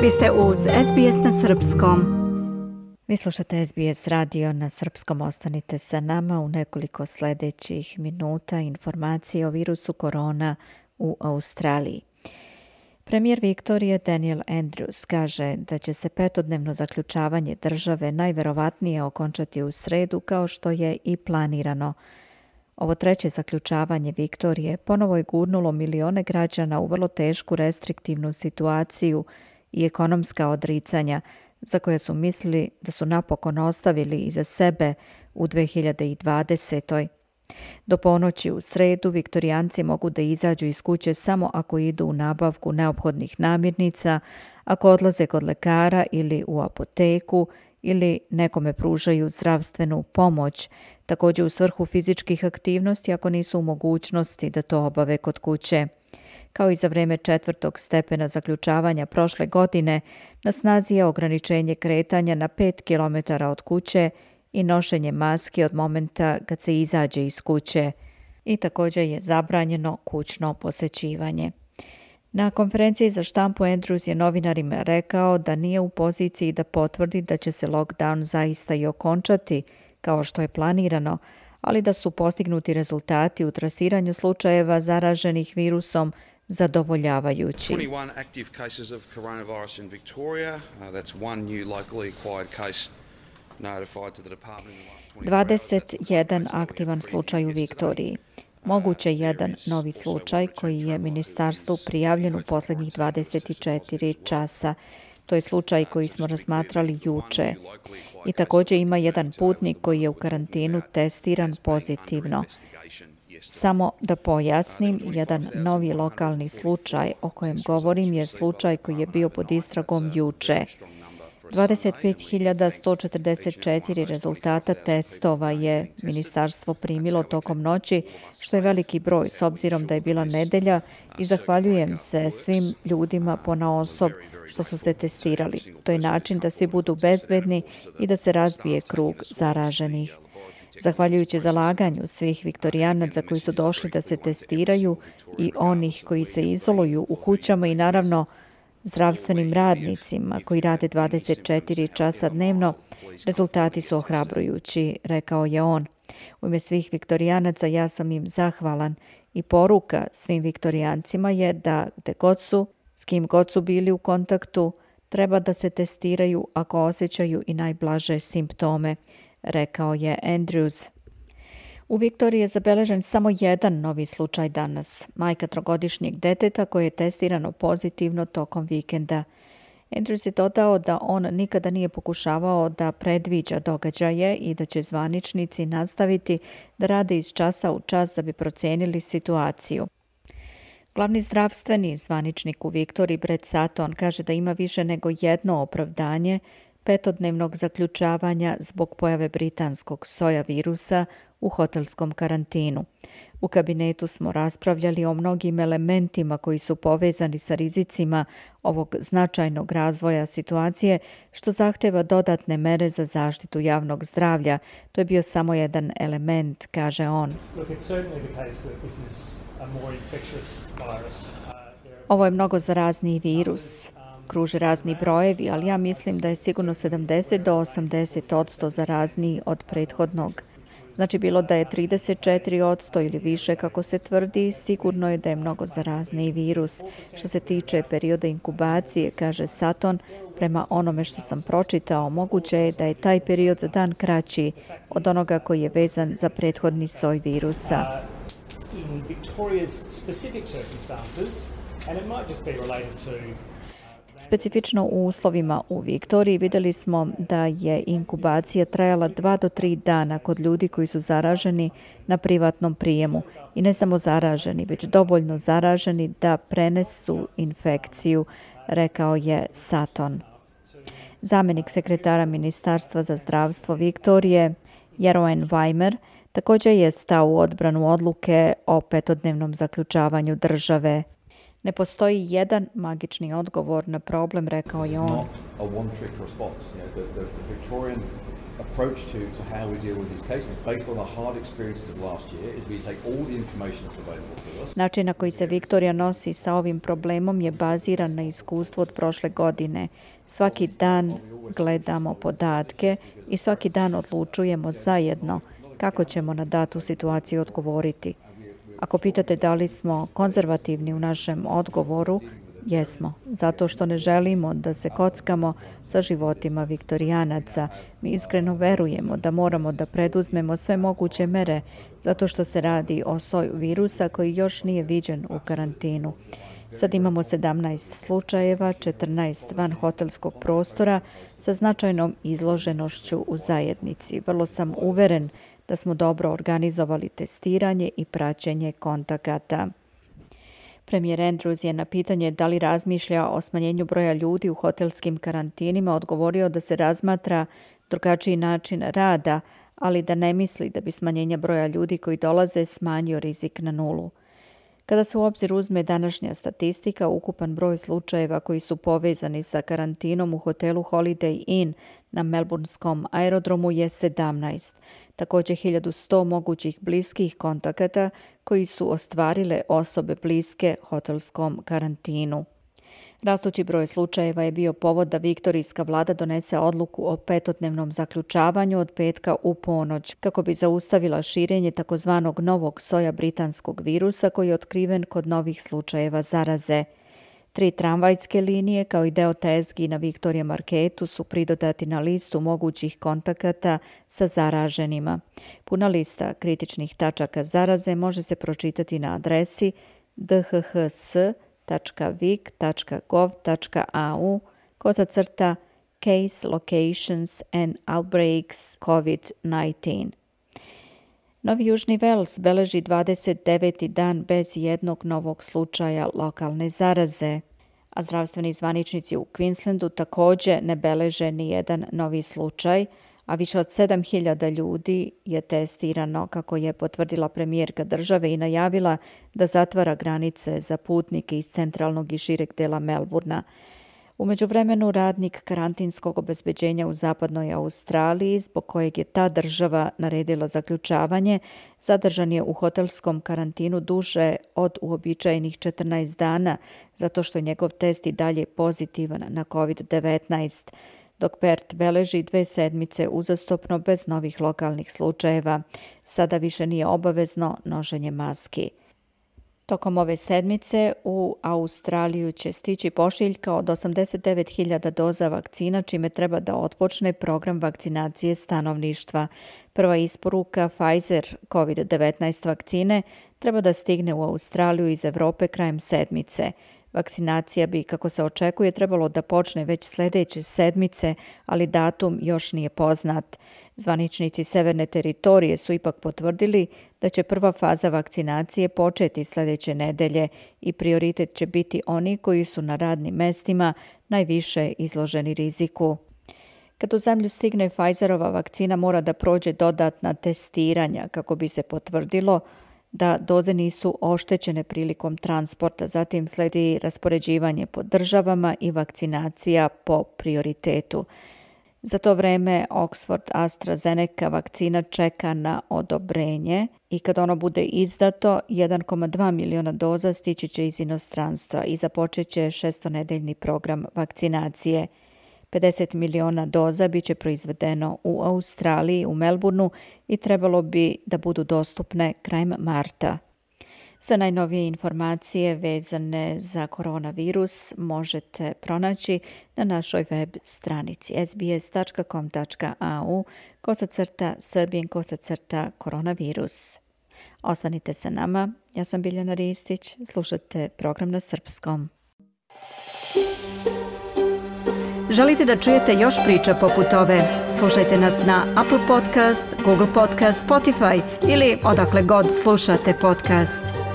Vi ste uz SBS na srpskom. Vi slušate SBS radio na srpskom. Ostanite sa nama u nekoliko sljedećih minuta informacije o virusu korona u Australiji. Premijer Viktorije Daniel Andrews kaže da će se 5-dnevno zaključavanje države najverovatnije okončati u sredu kao što je i planirano. Ovo treće zaključavanje Viktorije ponovo je gurnulo milione građana u vrlo tešku restriktivnu situaciju i ekonomska odricanja za koje su mislili da su napokon ostavili iza sebe u 2020. Do ponoći u sredu viktorijanci mogu da izađu iz kuće samo ako idu u nabavku neophodnih namirnica, ako odlaze kod lekara ili u apoteku ili nekome pružaju zdravstvenu pomoć, također u svrhu fizičkih aktivnosti ako nisu u mogućnosti da to obave kod kuće. Kao i za vreme 4. stepena zaključavanja prošle godine, na snazi je ograničenje kretanja na 5 km od kuće i nošenje maske od momenta kad se izađe iz kuće. I također je zabranjeno kućno posjećivanje. Na konferenciji za štampu Andrews je novinarima rekao da nije u poziciji da potvrdi da će se lockdown zaista i okončati kao što je planirano, ali da su postignuti rezultati u trasiranju slučajeva zaraženih virusom zadovoljavajući. 21 active cases of coronavirus in Victoria. That's one new locally acquired case notified to the department in the last 21 aktivan slučaj u Viktoriji. Moguće jedan novi slučaj koji je ministarstvu prijavljen u posljednjih 24 časa. To je slučaj koji smo razmatrali juče. I također ima jedan putnik koji je u karantinu testiran pozitivno. Samo da pojasnim, jedan novi lokalni slučaj o kojem govorim je slučaj koji je bio pod istragom juče. 25.144 rezultata testova je ministarstvo primilo tokom noći, što je veliki broj s obzirom da je bila nedelja i zahvaljujem se svim ljudima ponaosob što su se testirali. To je način da svi budu bezbedni i da se razbije krug zaraženih. Zahvaljujući zalaganju svih viktorijanaca koji su došli da se testiraju i onih koji se izoluju u kućama i naravno zdravstvenim radnicima koji rade 24 časa dnevno, rezultati su ohrabrujući, rekao je on. U ime svih viktorijanaca ja sam im zahvalan i poruka svim viktorijancima je da gde god su, s kim god su bili u kontaktu, treba da se testiraju ako osjećaju i najblaže simptome, rekao je Andrews. U Viktoriji je zabeležen samo jedan novi slučaj danas, majka 3-godišnjeg deteta koje je testirano pozitivno tokom vikenda. Andrews je dodao da on nikada nije pokušavao da predviđa događaje i da će zvaničnici nastaviti da rade iz časa u čas da bi procijenili situaciju. Glavni zdravstveni zvaničnik u Viktoriji, Brett Sutton, kaže da ima više nego jedno opravdanje 5-dnevnog zaključavanja zbog pojave britanskog soja virusa u hotelskom karantinu. U kabinetu smo raspravljali o mnogim elementima koji su povezani sa rizicima ovog značajnog razvoja situacije, što zahteva dodatne mere za zaštitu javnog zdravlja. To je bio samo jedan element, kaže on. Ovo je mnogo zarazniji virus. Kruže razni brojevi, ali ja mislim da je sigurno 70 do 80% zarazniji od prethodnog. Znači bilo da je 34% ili više kako se tvrdi, sigurno je da je mnogo zarazniji virus. Što se tiče perioda inkubacije, kaže Sutton, prema onome što sam pročitao, moguće je da je taj period za dan kraći od onoga koji je vezan za prethodni soj virusa. In Victoria's specific circumstances, and it might just be related to Specifično u uslovima u Viktoriji vidjeli smo da je inkubacija trajala 2 do 3 dana kod ljudi koji su zaraženi na privatnom prijemu. I ne samo zaraženi, već dovoljno zaraženi da prenesu infekciju, rekao je Sutton. Zamjenik sekretara Ministarstva za zdravstvo Viktorije, Jeroen Weimer, također je stao u odbranu odluke o 5-dnevnom zaključavanju države. Ne postoji jedan magični odgovor na problem, rekao je on. Approach to how we deal with these cases based on the hard experiences of last year is we take all the information that's available to us. Način na koji se Viktorija nosi sa ovim problemom je baziran na iskustvu od prošle godine. Svaki dan gledamo podatke i svaki dan odlučujemo zajedno kako ćemo na datu situaciju odgovoriti. Ako pitate da li smo konzervativni u našem odgovoru, jesmo, zato što ne želimo da se kockamo sa životima viktorijanaca. Mi iskreno verujemo da moramo da preduzmemo sve moguće mere, zato što se radi o soju virusa koji još nije viđen u karantinu. Sad imamo 17 slučajeva, 14 van hotelskog prostora sa značajnom izloženošću u zajednici. Vrlo sam uveren da smo dobro organizovali testiranje i praćenje kontakata. Premijer Andrews je na pitanje da li razmišlja o smanjenju broja ljudi u hotelskim karantinima odgovorio da se razmatra drugačiji način rada, ali da ne misli da bi smanjenje broja ljudi koji dolaze smanjio rizik na nulu. Kada se u obzir uzme današnja statistika, ukupan broj slučajeva koji su povezani sa karantinom u hotelu Holiday Inn na melburnskom aerodromu je 17. Također 1100 mogućih bliskih kontakata koji su ostvarile osobe bliske hotelskom karantinu. Rastući broj slučajeva je bio povod da viktorijska vlada donese odluku o 5-dnevnom zaključavanju od petka u ponoć, kako bi zaustavila širenje takozvanog novog soja britanskog virusa koji je otkriven kod novih slučajeva zaraze. 3 tramvajske linije kao i deo tezgi na Victoria Marketu su pridodati na listu mogućih kontakata sa zaraženima. Puna lista kritičnih tačaka zaraze može se pročitati na adresi dhhs.vic.gov.au Case Locations and Outbreaks COVID-19. Novi Južni Vels beleži 29. dan bez jednog novog slučaja lokalne zaraze, a zdravstveni zvaničnici u Queenslandu također ne beleže ni jedan novi slučaj, a više od 7.000 ljudi je testirano, kako je potvrdila premijerka države i najavila da zatvara granice za putnike iz centralnog i šireg dela Melburna. U međuvremenu radnik karantinskog obezbeđenja u zapadnoj Australiji, zbog kojeg je ta država naredila zaključavanje, zadržan je u hotelskom karantinu duže od uobičajenih 14 dana, zato što je njegov test i dalje pozitivan na COVID-19, dok Perth beleži 2 sedmice uzastopno bez novih lokalnih slučajeva. Sada više nije obavezno nošenje maski. Tokom ove sedmice u Australiju će stići pošiljka od 89.000 doza vakcina, čime treba da otpočne program vakcinacije stanovništva. Prva isporuka Pfizer COVID-19 vakcine treba da stigne u Australiju iz Evrope krajem sedmice. Vakcinacija bi, kako se očekuje, trebalo da počne već sljedeće sedmice, ali datum još nije poznat. Zvaničnici Severne teritorije su ipak potvrdili da će prva faza vakcinacije početi sljedeće nedelje i prioritet će biti oni koji su na radnim mestima najviše izloženi riziku. Kad u zemlju stigne Pfizerova vakcina, mora da prođe dodatna testiranja kako bi se potvrdilo da doze nisu oštećene prilikom transporta. Zatim slijedi raspoređivanje po državama i vakcinacija po prioritetu. Za to vreme Oxford AstraZeneca vakcina čeka na odobrenje i kad ono bude izdato, 1,2 miliona doza stići će iz inostranstva i započet će 6-nedeljni program vakcinacije. 50 miliona doza bit će proizvedeno u Australiji, u Melbourneu i trebalo bi da budu dostupne krajem marta. Sve najnovije informacije vezane za koronavirus možete pronaći na našoj web stranici sbs.com.au/srbijen/koronavirus. Ostanite sa nama, ja sam Biljana Ristić, slušate program na srpskom. Želite da čujete još priča poput ove? Slušajte nas na Apple Podcast, Google Podcast, Spotify ili odakle god slušate podcast.